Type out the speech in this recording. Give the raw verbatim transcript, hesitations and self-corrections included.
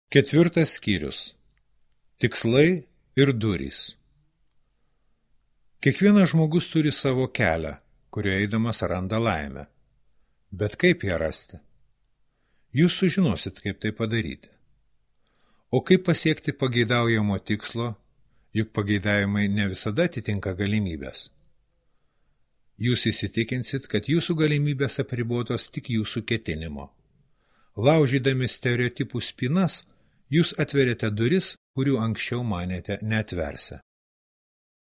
Ketvirtas skyrius. Tikslai ir durys. Kiekvienas žmogus turi savo kelią, kuriuo eidamas randa laimę. Bet kaip ją rasti? Jūs sužinosit, kaip tai padaryti. O kaip pasiekti pageidaujamo tikslo, juk pageidavimai ne visada atitinka galimybės. Jūs įsitikinsit, kad jūsų galimybės apribotos tik jūsų ketinimo. Laužydami stereotipų spynas, jūs atveriate duris, kurių anksčiau manėte neatversią.